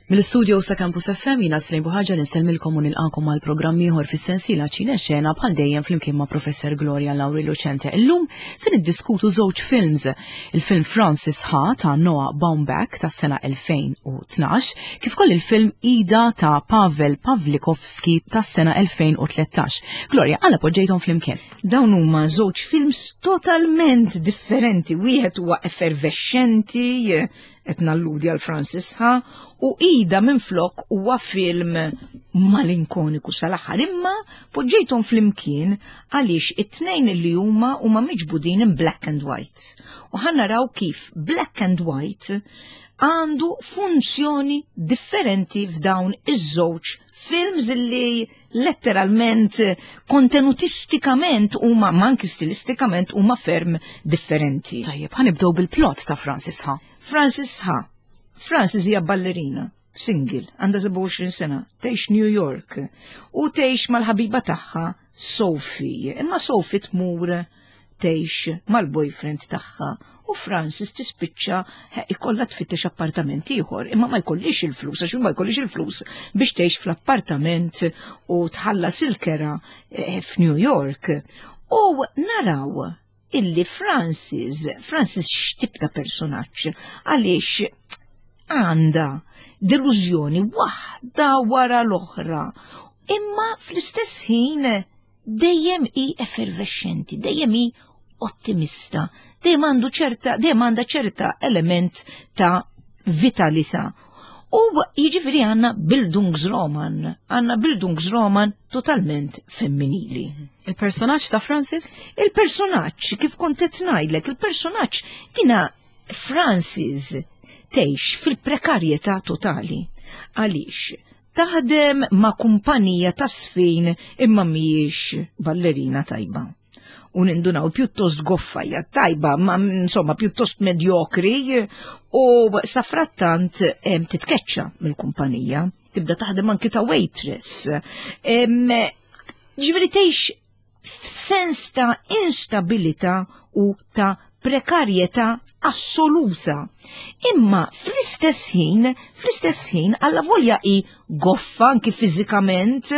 Mill-istudio sa Campus FM jina Slejn Buħaġa nselmilkom u nilqakom għal programm ieħor fis-sensiela Ċine Xena bħal dejjem flimkien ma' Professor Gloria Lauri Lucente. Illum se niddiskutu żewġ films, il-film Francis Ha ta' Noah Baumbach tas-sena 2012, kif ukoll il-film Ida ta' Pavel Pawlikowski tas-sena 2013. Gloria, għala poġġejthom flimkien? Dawn huma żewġ films totalment differenti, wieħed huwa effervescenti, qed nalludi għal Francis Ha, u Ida minflok huwa film malinkoniku sal-aħħar, imma poġġejthom flimkien għaliex it-tnejn li huma huma miġbudin in black and white. U ħa naraw kif black and white għandu funzjoni differenti f'dawn iż-żewġ films li letteralment kontenutistikament huma manki stilistikament huma ferm differenti. Tajjeb, ħanibdew bil-plot ta' Francis Ha. Francis Ha. Francis hija ballerina, single, għandha 27 sena, tgħix New York u tgħix mal-ħabiba tagħha Sophie. Imma Sophie tmur tgħix mal-boyfriend tagħha u Francis tispiċċa eh, ikollha tfittex appartament ieħor, imma ma jkollix il-flus, għax ma jkollix il-flus biex tgħix fl-appartament u tħallas il-kera eh, f'New York. U naraw illi Francis, Francis x'tip ta' personaġġ, għaliex għandha delużjoni waħda wara l-oħra, imma fl-istess ħin dejjem hi effervescenti, dejjem hi ottimista, dejjem għandu ċerta, dejjem għandha ċerta element ta' vitalità. U jiġifieri għandna Bildungsroman, għandna Bildungsroman totalment femminili. Il-personaġġ ta' Francis? Il-personaġġ, kif kont qed ngħidlek, il-personaġġ dina Francis tgħix fil-prekarjetà totali. Għaliex? Taħdem ma' kumpanija ta' sfin imma mhijiex ballerina tajba. U nindunaw pjuttost goffa hija tajba, ma insomma pjuttost medjokri u safrattant titkeċċa mill-kumpanija, tibda taħdem anki ta' waitress. Ġifieri tgħix f'sens ta' instabilità u ta' prekarjetà assoluta. Imma fl-istess ħin, fl-istess ħin, alla volja hi goffa anki fiżikament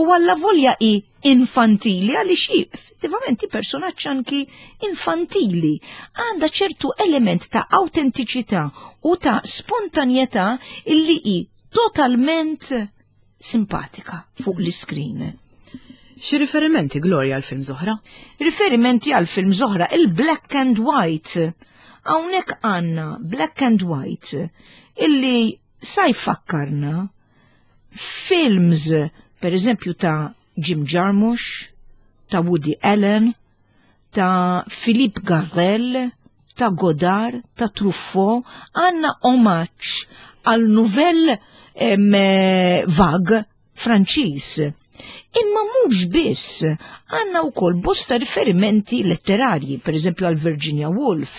u alla volja hi infantili għaliex hi effettivament hi personaġġ anki infantili. Għandha ċertu element ta' autentiċità u ta' spontanjetà illi hi totalment simpatika fuq l-iskrin. Xi riferimenti Gloria għal film Zohra? Riferimenti għal film Zohra, il-black and white. Hawnhekk għandna black and white illi sa jfakkarna films per eżempju ta' Jim Jarmusch, ta' Woody Allen, ta' Philippe Garrel, ta' Godard, ta' Truffaut, għanna omaġġ għal Nouvelle Vague Franċiż. Imma mhux biss, għandna wkoll bosta riferimenti letterarji, per eżempju għal Virginia Woolf,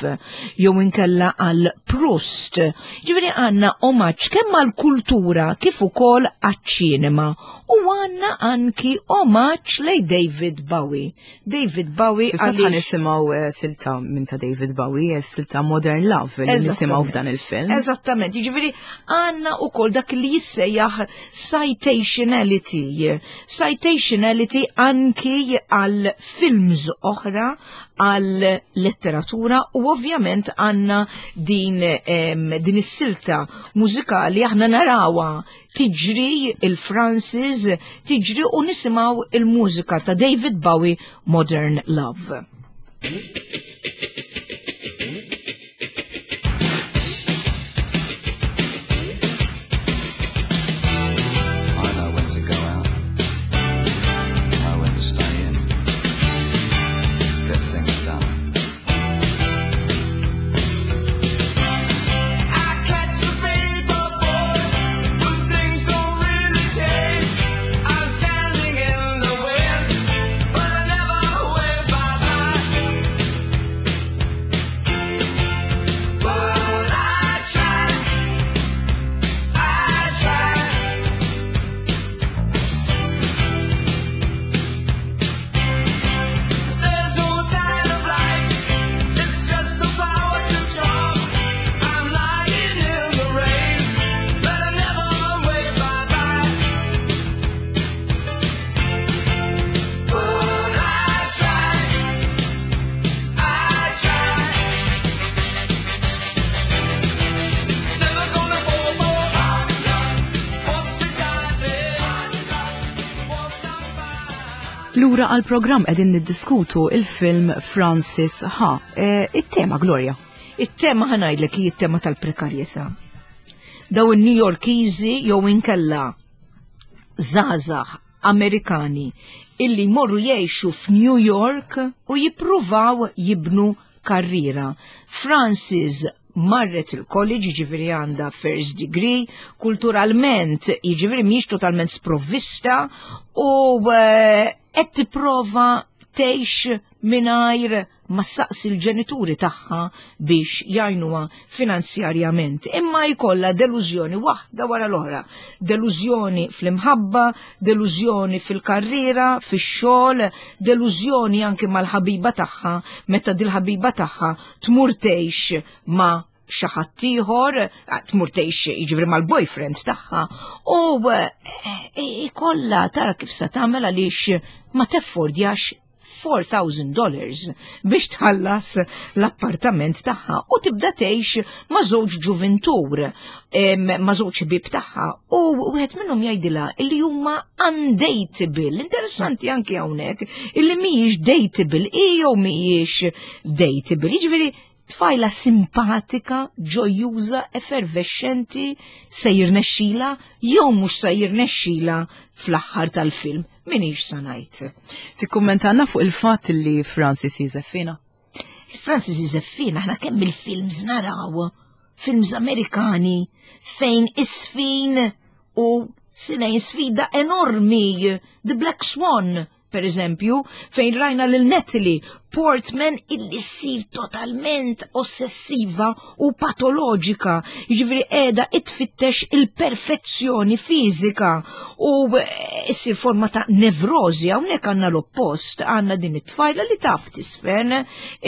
jew inkella għal Proust. Ġifieri għandna omaġġ kemm għal kultura kif ukoll għaċ-ċinema u għandna anki omaġġ lej David Bowie. David Bowie. Fil-fatt ħa nisimgħu eh, silta minn ta' David Bowie, eh, silta Modern Love li nisimgħu f'dan il-film. Eżattament, jiġifieri għandna wkoll dak li jissejjaħ citationality. Citationality anki għal films oħra, għal letteratura u ovvjament għandna din, din is-silta mużikali aħna narawha tiġri il-Francis, tiġri u nisimaw il-mużika ta' David Bowie Modern Love. Lura għal programm qegħdin niddiskutu il-film Francis Ha. E, it-tema Gloria. It-tema ħa ngħidlek hi t-tema tal-prekarjetà. Daw in-New Yorkiżi jew inkella żgħażagħ Amerikani illi jmorru jgħixu f'New York u jippruvaw jibnu karriera. Francis marret il-college, jiġifieri għandha first degree, kulturalment, jiġifieri mhijiex totalment sprovvista u eh, qed tipprova tgħix mingħajr ma ssaqsi l-ġenituri tagħha biex jgħinuha finanzjarjament. Imma jkollha delużjoni waħda wara l-oħra. Delużjoni fl-imħabba, delużjoni fil-karriera, fix-xogħol, delużjoni anke mal-ħabiba tagħha meta dil-ħabiba tagħha tmur tgħix ma' xi ħadd ieħor, tmur tgħix jiġifieri mal-boyfriend tagħha u eh, ikollha tara kif se tagħmel għaliex ma teffordjax $4,000 dollars biex tħallas l-appartament tagħha u tibda tgħix ma' żewġ ġuvintur, ma' żewġ ħbieb tagħha u wieħed minnhom jgħidilha li huma undateable. Interessanti anki hawnhekk illi mhijiex dateable hi jew mhijiex dateable. Jiġifieri tfajla simpatika, ġojuża, effervexxenti se jirnexxila jew mhux se jirnexxila fl-aħħar tal-film. Minix sa ngħid. Tikkummentanna fuq il-fatt li Francis Josefina? Francis Josefina aħna kemm il-films naraw, films Amerikani fejn isfin u sinejn sfida enormi, The Black Swan, per eżempju, fejn rajna lil Natalie Portman illi ssir totalment ossessiva u patoloġika, jiġifieri qiegħda itfittex il-perfezzjoni fiżika u eh, ssir forma ta' nevrożi hawnhekk għandna l-oppost, għandna din it-tfajla li taf tisfen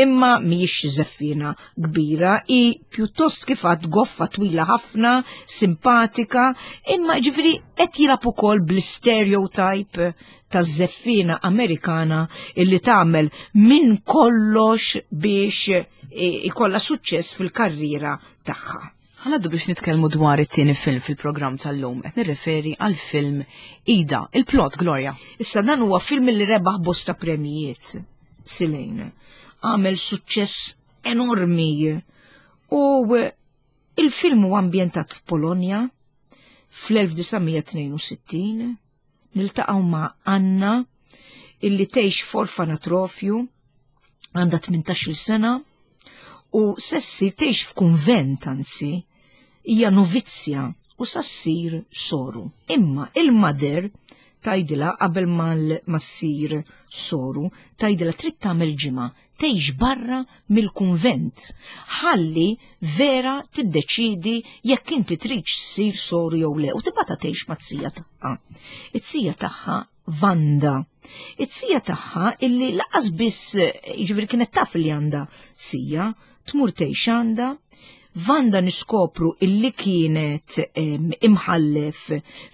imma mhijiex żeffina kbira, i pjuttost kif għad goffa twila ħafna, simpatika, imma ġifieri qed jilgħab ukoll bl-stereotype taż-żeffiena Amerikana illi tagħmel minn kollox biex e, ikollha suċċess fil-karriera tagħha. Ħanaddu biex nitkellmu dwar it-tieni film fil-programm tal-lum, qed nirreferi għal film Ida, il-plot Gloria. Issa dan huwa film li rebaħ bosta premjijiet Silejn. Għamel suċċess enormi u il-film huwa ambjentat f'Polonja fl-1962 niltaqgħu ma' Anna illi tgħix f'orfanatrofju għandha 18-il sena u se ssir tgħix f'kunvent anzi hija novizzja u sa ssir soru. Imma il-mother tgħidilha qabel ma ssir soru, tgħidilha trid tagħmel ġimgħa tgħix barra mill-kunvent ħalli vera tiddeċiedi jekk inti tridx ssir soru jew le u tibgħatha tgħix mat-sija tagħha. It-sija tagħha Vanda. It-sija tagħha illi laqas biss jiġifieri kienet taf li għandha sija, tmur tgħix għandha, Vanda niskopru illi kienet imħallef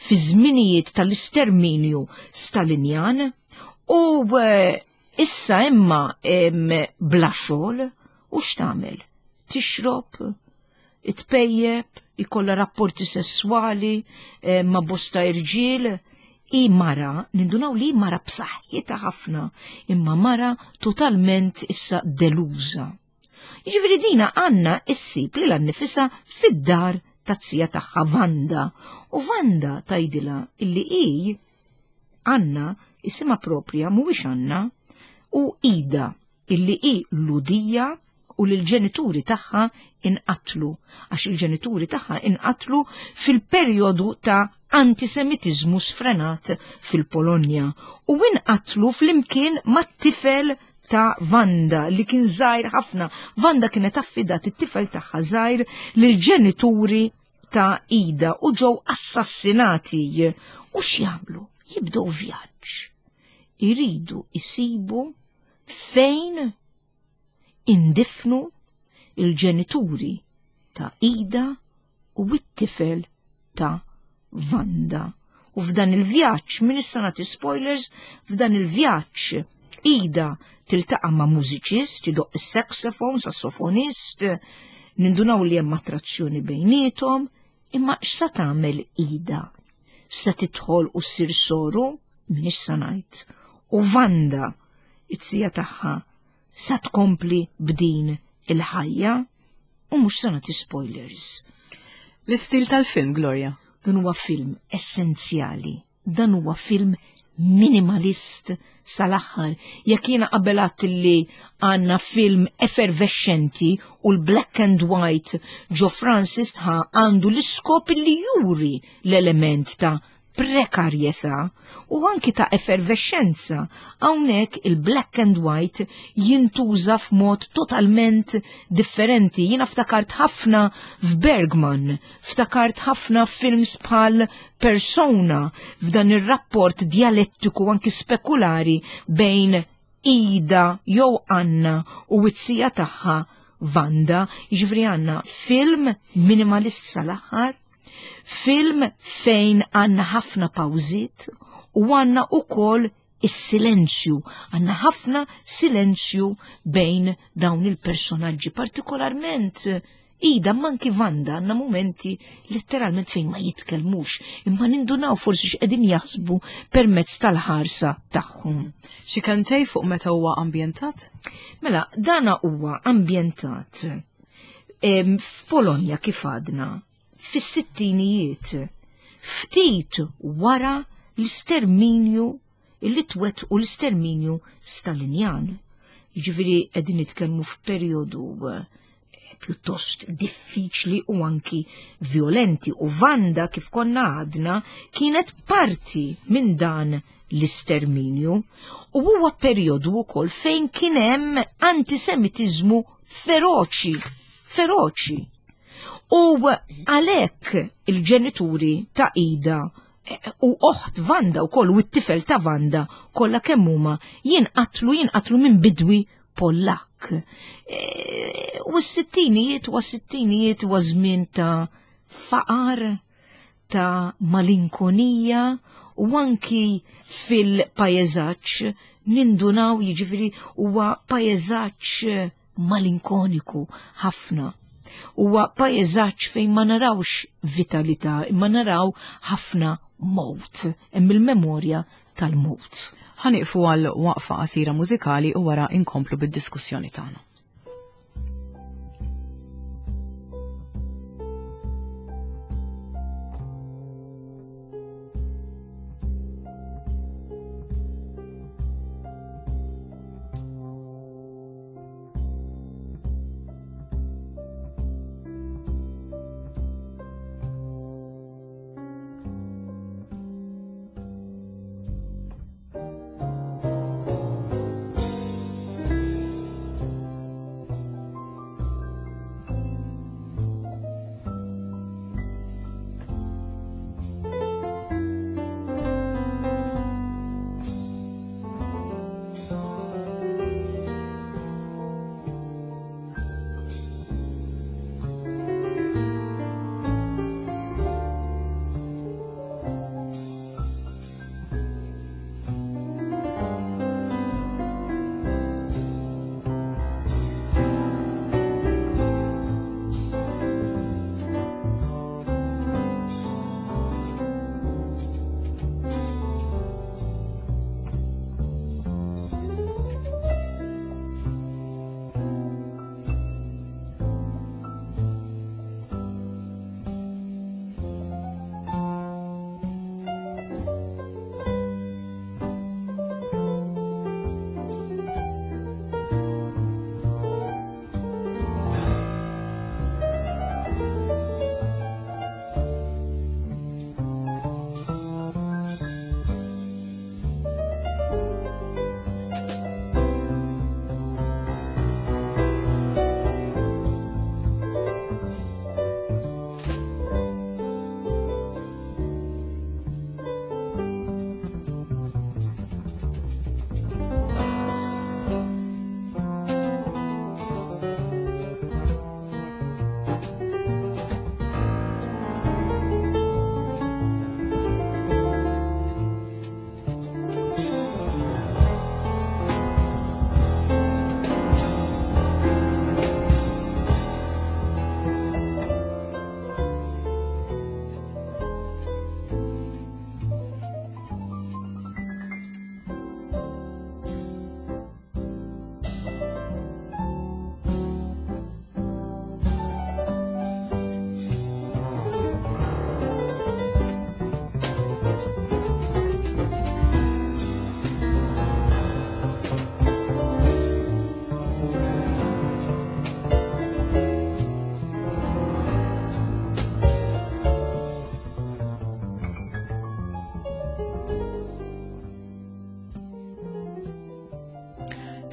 fi żminijiet tal-isterminju Stalinjan u eh, Issa imma bla xogħol u x'tagħmel? Tixrob, tpejjep, ikollha rapporti sesswali eh, ma' bosta irġiel, i mara, nindunaw li mara b'saħħitha ħafna, imma mara totalment issa deluża. Jiġifieri dina għandna issib lilha nnifisha fid-dar taz-zija tagħha Vanda u Vanda tgħidilha illi hi Anna isimha proprja mhuwiex Anna u Ida illi hi Lhudija u li l-ġenituri tagħha inqatlu għax il-ġenituri tagħha inqatlu fil-perjodu ta' antisemitiżmu sfrenat fil-Polonja u inqatlu flimkien mat-tifel ta' Vanda li kien żgħir ħafna. Vanda kienet affidat it-tifel tagħha żgħir lill-ġenituri ta' Ida u ġew assassinati. U x'jagħmlu? Jibdew vjaġġ. Iridu isibu fejn indifnu il-ġenituri ta' Ida u t-tifel ta' Vanda. U f'dan il-vjaġġ, minn issa nagħti spoilers, f'dan il-vjaġġ Ida tiltaqa' ma' mużiċist, idoqq is-saxophone, sassofonist, nindunaw li hemm attrazzjoni bejniethom, imma x'sa tagħmel Ida? Se tidħol u ssir soru? M'iniex sa ngħid. U Vanda, it-sija tagħha, sa tkompli b'din il-ħajja u mhux se nagħti spoilers. L-istil tal-film, Gloria? Dan huwa film essenzjali. Dan huwa film minimalist sal-aħħar. Jekk jiena qabel għadt li għandna film effervescenti u l-black and white ġo Francis ha għandu l-iskop li juri l-element ta' prekarjetà u anki ta' effervescenza. Hawnhekk il-black and white jintuża f'mod totalment differenti. Jiena ftakart ħafna f'Bergman, ftakart ħafna films bħal Persona f'dan ir-rapport djalettiku anki spekulari bejn Ida jew Anna u it-sija tagħha Vanda, jiġifieri għandna film minimalist sal-aħħar, Film fejn għandna ħafna pawżiet u għandna ukoll is-silenzju, għandna ħafna silenzju bejn dawn il-personaġġi, partikolarment Ida manki Vanda għandna momenti letteralment fejn ma jitkellmux, imma nindunaw forsi x'qegħdin jaħsbu permezz tal-ħarsa tagħhom. Xi kelmtej fuq meta huwa ambjentat? Mela, dana huwa ambjentat f'Polonja kif għadna fis-sittinijiet, ftit wara l-isterminju li twettqu l-isterminju Stalinjan. Jiġifieri qegħdin nitkellmu f'perjodu eh, pjuttost diffiċli u anki violenti u Vanda kif konna għadna kienet parti minn dan l-isterminju u huwa perjodu wkoll fejn kien hemm antisemitiżmu feroċi, feroċi. U għalhekk il-ġenituri ta' Ida eh, u oħt Vanda u koll u t-tifel ta' Vanda kollha kemm huma jinqatlu jinqatlu minn bidwi Pollak. Eh, u s-sittinijiet u s-sittinijiet u żmien ta' faqar, ta' malinkonija u anki fil-pajeżaġġ nindunaw jiġifieri huwa pajeżaġġ malinkoniku ħafna. Huwa pajeżaġġ fejn ma narawx vitalità, imma naraw ħafna mowt, hemm il-memorja tal-mowt. Ħaniqfu għal waqfa qasira mużikali u wara inkomplu bid-diskussjoni tagħna.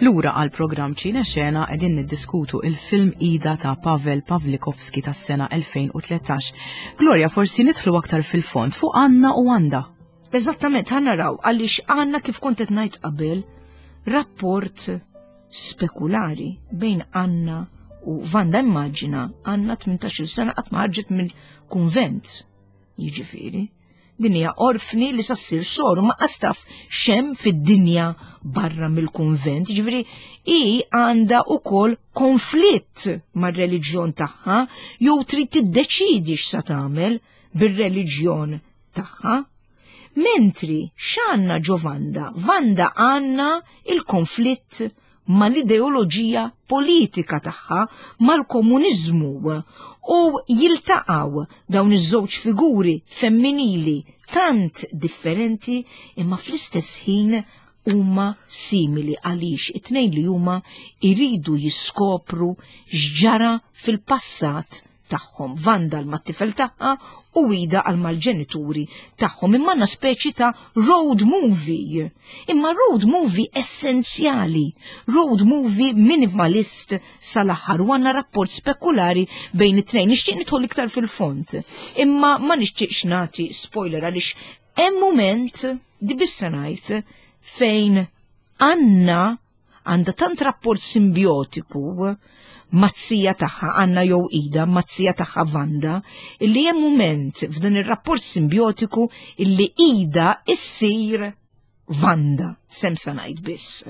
Lura għal programm Ċine Xena qegħdin niddiskutu il-film Ida ta' Pavel Pawlikowski tas-sena 2013. Gloria, forsi nidħlu aktar fil-fond fuq Anna u Wanda. Eżattament, ħa naraw għaliex għandna kif kont qed ngħid qabel rapport spekulari bejn Anna u Vanda. Immaġina Anna 18-il sena qatt ma ħarġet mill-kunvent. Jiġifieri, din hija orfni li sa ssir soru ma qastaf xem fid-dinja barra mill-kunvent. Jiġifieri hi għandha ukoll konflitt mar-reliġjon tagħha jew trid tiddeċidi x'sa tagħmel bir-reliġjon tagħha. Mentri x'għandna ġo Vanda? Vanda għandna il-konflitt mal-ideoloġija politika tagħha, mal-komuniżmu u jiltaqgħu dawn iż-żewġ figuri femminili tant differenti imma fl-istess ħin huma simili għaliex it-tnejn li huma jridu jiskopru x'ġara fil-passat tagħhom, Vanda għal mat-tifel tagħha u Ida għal mal-ġenituri tagħhom. Imma għandna speċi ta' road movie. Imma road movie essenzjali, road movie minimalist sal-aħħar u għandna rapport spekulari bejn it-tnejn. Nixtieq nidħol iktar fil-fond, imma ma nixtieqx nagħti spoiler għaliex hemm mument di bissa ngħid fejn Anna għandha tant rapport simbiotiku mat-sija tagħha Anna jew Ida, mat-sija tagħha Vanda, illi hemm mument f'dan ir-rapport simbiotiku illi Ida issir Vanda, sem sa ngħid biss.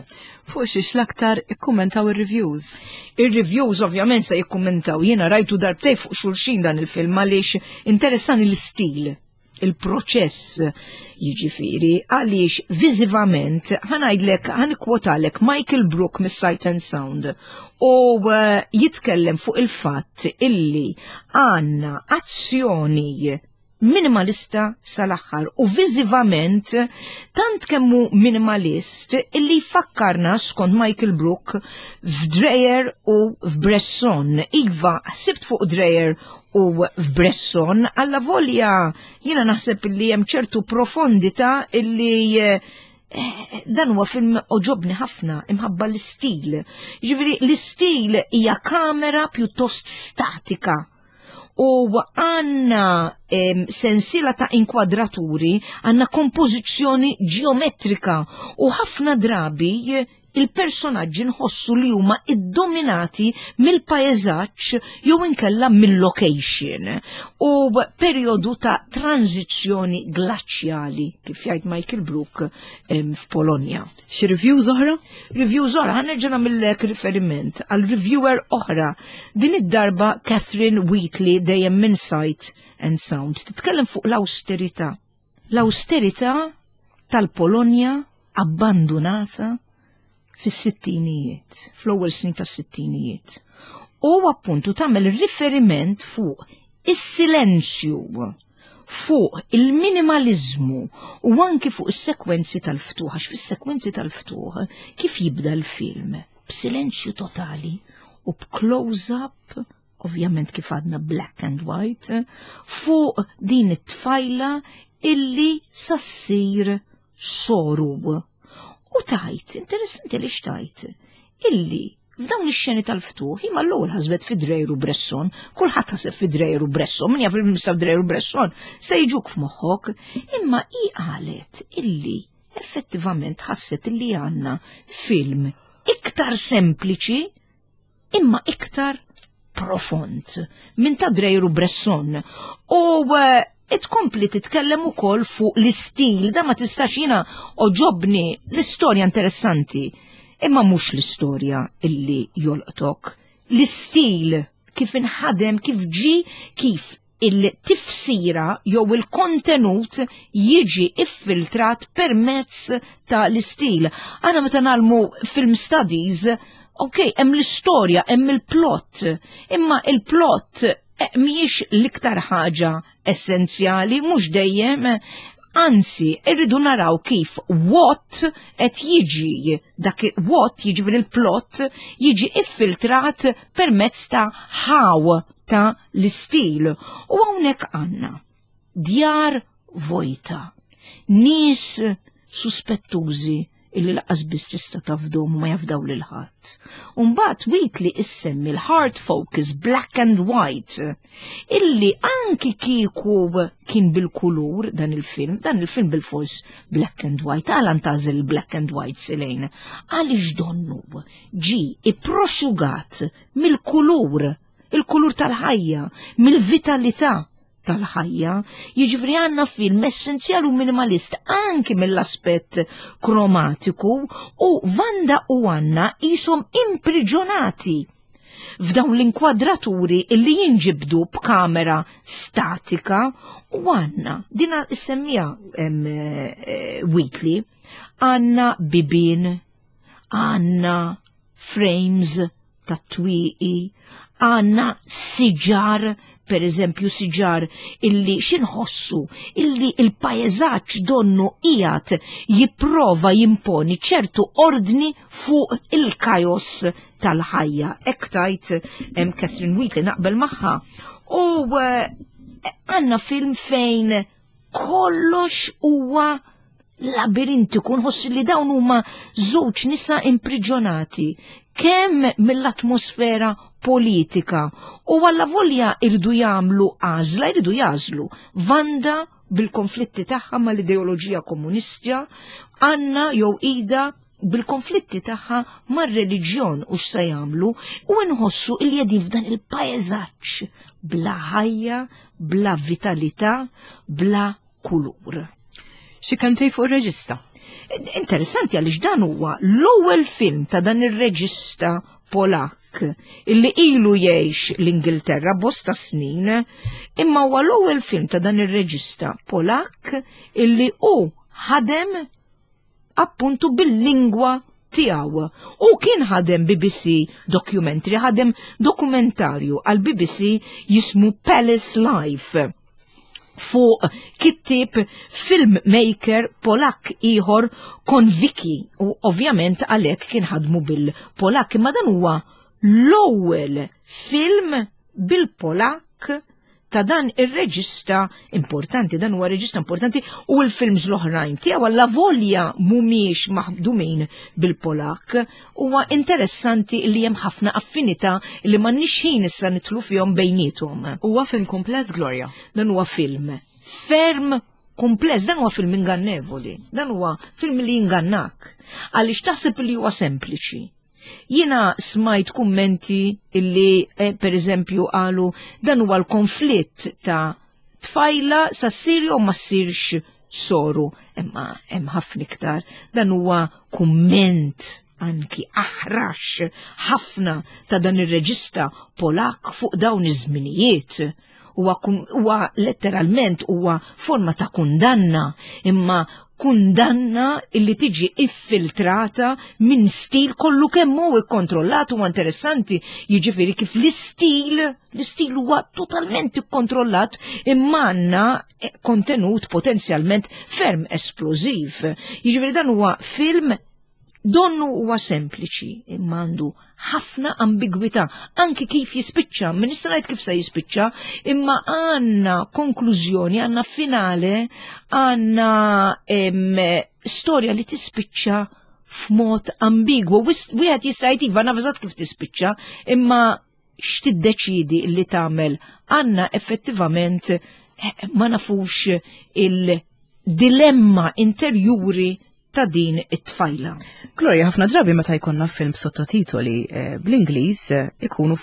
Fuq xiex l-aktar ikkummentaw ir-reviews? Ir-reviews ovvjament se jikkummentaw. Jiena rajtu darbtej fuq xulxin dan il-film għaliex interessani l-istil il-proċess jiġifieri għaliex viżivament ħanajdlek ħanikwotalek Michael Brook mis-Sight and Sound u eh, jitkellem fuq il-fatt illi għandna azzjoni minimalista sal-aħħar u viżivament tant kemmu minimalist illi jfakkarna skont Michael Brook f'Dreyer u f'Bresson. Iva, ħsibt fuq Dreyer u f'Bresson, alla volja jiena naħseb li hemm ċertu profondità illi eh, dan huwa film oġobni ħafna imħabba l-istil. Ġifieri l-istil hija kamera pjuttost statika u għanna sensiela ta' inkwadraturi, għanna kompożizzjoni ġeometrika u ħafna drabi il-personaġġi nħossu li huma iddominati mill-paeżaġġ jew inkella mill-location u perjodu ta' tranzizzjoni glaċjali kif jgħid Michael Brook f'Polonja. Xi reviews oħra? Reviews oħra, ħanerġa' nagħmillek riferiment għal reviewer oħra din id-darba Catherine Wheatley dejjem minn Sight and Sound titkellem fuq l-awsterità. L-awsterità tal-Polonja abbandunata fis-sittinijiet, fl-ewwel snin tas-sittinijiet. U appuntu tagħmel riferiment fuq is-silenzju, fuq il-minimaliżmu u anki fuq is-sekwenzi tal-ftuħ, għax fis-sekwenzi tal-ftuħ kif jibda l-film b'silenzju totali u b'close-up ovvjament kif għadna black and white, fuq din it-tfajla illi sassir soru. U tajt, interessanti li xtajt, illi f'dawn ix-xeni tal-ftuħ imma l-ewwel ħasbet fi Dreyer u Bresson, kulħadd ħaseb fi Dreyer u Bresson, min jaf il-mistgħu Dreyer u Bresson, se jiġuk f'moħħok, imma hi qalet illi effettivament ħasset illi għandna film iktar sempliċi imma iktar profond minn ta' Dreyer u Bresson. U eh, tkompli titkellem ukoll fuq l-istil, da ma tistax jiena oġobni l-istorja interessanti, imma mhux l-istorja illi jolqtok. L-istil kif inħadem, kif ġi, kif il-tifsira jew il-kontenut jiġi iffiltrat permezz ta' l-istil. Għana meta nagħmlu film studies, ok, hemm l-istorja, hemm il-plot, imma il-plot eh, mhijiex l-iktar ħaġa essenzjali, mhux dejjem, anzi, irridu naraw kif what qed jiġi dak what jiġifieri il-plot jiġi iffiltrat permezz ta' how ta' l-istil. U hawnhekk għandna djar vojta, nies suspettużi. illi laqas biss tista' tafdhom u ma jafdaw lil ħadd. U mbagħad Wheatley issemmi l-hard focus black and white illi anki kieku kien bil-kulur dan il-film, dan il-film bil-fors black and white, għala ntażel black and white silejn, għaliex donnu ġi ipproxugat mill-kulur, il-kulur tal-ħajja, mill-vitalità tal-ħajja, jiġifieri għandna film essenzjali u minimalist anki mill-aspett kromatiku u Vanda u Anna qishom impriġonati f'dawn l-inkwadraturi illi jinġibdu b'kamera statika u għanna, dina semmija eh, Wheatley, għanna bibin, għanna frames ta' twieqi, għanna siġar, per eżempju siġar illi xinħossu illi il-pajeżaġġ donnu qiegħed jipprova jimponi ċertu ordni fuq il-kajos tal-ħajja. Hekk tajt Catherine Wheatley naqbel magħha. U eh, għanna film fejn kollox huwa labirintiku, nħoss li dawn huma żewġ nisa impriġjonati kemm mill-atmosfera politika u għalla volja irdu jagħmlu għażla, irdu jażlu. Vanda bil-konflitti tagħha mal-ideoloġija komunistja, Anna jew Ida bil-konflitti tagħha mar-reliġjon u x'se jagħmlu u nħossu li qegħdin f'dan il-paeżaġġ bla ħajja, bla vitalità, bla kulur. Xi kelmtej fuq ir-reġista? Interessanti għaliex dan huwa l-ewwel film ta' dan ir-reġista Polak illi ilu jgħix l-Ingilterra bosta snin, imma huwa l-ewwel film ta' dan ir-reġista Polak illi hu ħadem appuntu bil-lingwa tiegħu. U kien ħadem BBC documentary, ħadem dokumentarju għal BBC jismu Palace Life fuq kittib filmmaker Polak ieħor Konviki u ovvjament għalhekk kien ħadmu bil-Polak imma dan huwa l-ewwel film bil-Polak ta' dan ir-reġista importanti, dan huwa reġista importanti u l-films l-oħrajn tiegħu alla volja mhumiex maħdumin bil-Polak huwa interessanti li hemm ħafna affinità li m'għandniex ħin issa nidħlu fihom bejniethom. Huwa film kumpless Gloria. Dan huwa film ferm kumpless, dan huwa film ingannevoli, dan huwa film li jingannak għaliex taħseb li huwa sempliċi. Jiena smajt kummenti illi eh, per eżempju qalu dan huwa l-konflitt ta' tfajla sa ssir jew ma ssirx soru. Imma hemm ħafna iktar. Dan huwa kumment anki aħrax ħafna ta' dan ir-reġista Polak fuq dawn iż-żminijiet. Huwa letteralment huwa forma ta' kundanna, imma kundanna illi tiġi iffiltrata minn stil kollu kemm hu ikkontrollat huwa interessanti, jiġifieri kif l-istil, l-istil huwa totalment ikkontrollat imma għandna eh, kontenut potenzjalment ferm esplożiv. Jiġifieri dan huwa film Donnu huwa sempliċi imma għandu ħafna ambigwità anki kif jispiċċa, min nista' ngħid kif se jispiċċa, imma għandna konklużjoni, għandna finale, għandna storja li tispiċċa f'mod ambigwu. Wieħed jista' jgħid iva naf eżatt kif tispiċċa, imma x'tiddeċidi li tagħmel għandna effettivament eh, ma nafux il-dilemma interjuri ta' din it-tfajla. Gloria, ħafna drabi meta jkollna film sottotitoli eh, bl-Ingliż eh, ikunu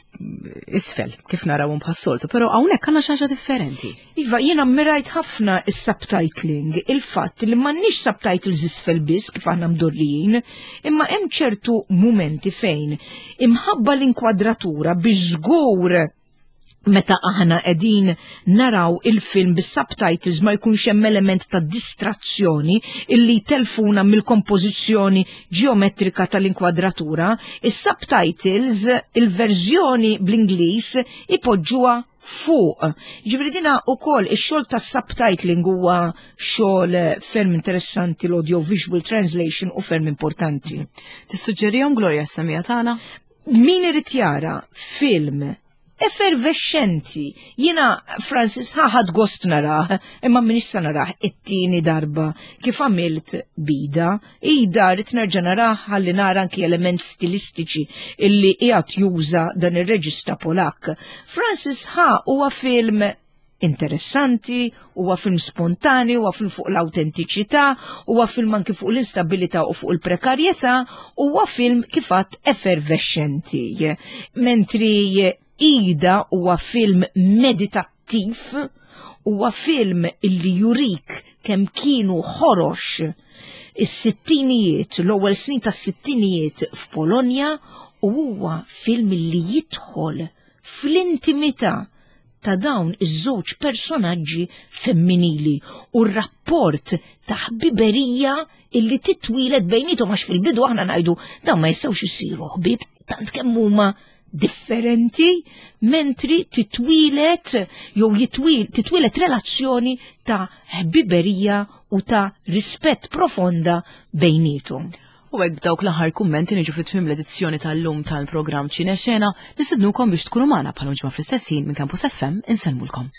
isfel kif narawhom bħas-soltu, però hawnhekk għandna xi ħaġa differenti. Iva, jiena ammirajt ħafna is-subtitling, il-fatt li m'għandniex subtitles isfel biss kif aħna mdorrijin, imma hemm ċertu mumenti fejn imħabba l-inkwadratura biex żgur meta aħna qegħdin naraw il-film bis-subtitles ma jkunx hemm element ta' distrazzjoni illi telfuna mill-kompożizzjoni ġeometrika tal-inkwadratura, is-subtitles il-verżjoni bl-Ingliż ipoġġuha fuq. Ġifieri dina wkoll ix-xogħol tas-subtitling huwa xogħol ferm interessanti l-audio visual translation u ferm importanti. Tissuġġerihom Gloria s-semija tagħna? Min irid jara film Effervescenti. Jiena Francis Ha ħadt gost narah, imma m'iniex se narah it-tieni darba kif għamilt b'Ida. Ida rrid nerġa' narah ħalli nara anki element stilistiċi illi qiegħed juża dan ir-reġista Polak. Francis Ha huwa film interessanti, huwa film spontanju, huwa film fuq l-autentiċità, huwa film anki fuq l-instabilità u fuq il-prekarjetà, huwa film kif għedt effervescenti. Mentri Ida huwa film meditattiv, huwa film illi jurik kemm kienu ħorox is-sittinijiet, l-ewwel snin tas-sittinijiet f'Polonja u huwa film illi jidħol fl-intimità ta' dawn iż-żewġ personaġġi femminili u r-rapport ta' ħbiberija illi titwieled bejnietom għax fil-bidu aħna ngħidu dawn ma jistgħux isiru ħbieb tant kemm huma differenti mentri titwieled jew jitwil titwieled relazzjoni ta' ħbiberija u ta' rispett profonda bejnietom. U hekk b'dawk l-aħħar kummenti niġu fi tmiem l-edizzjoni tal-lum tal-programm Ċinexena, nistednukom biex tkunu magħna bħal ġimgħa fl-istess ħin minn Campus FM insellmulkom.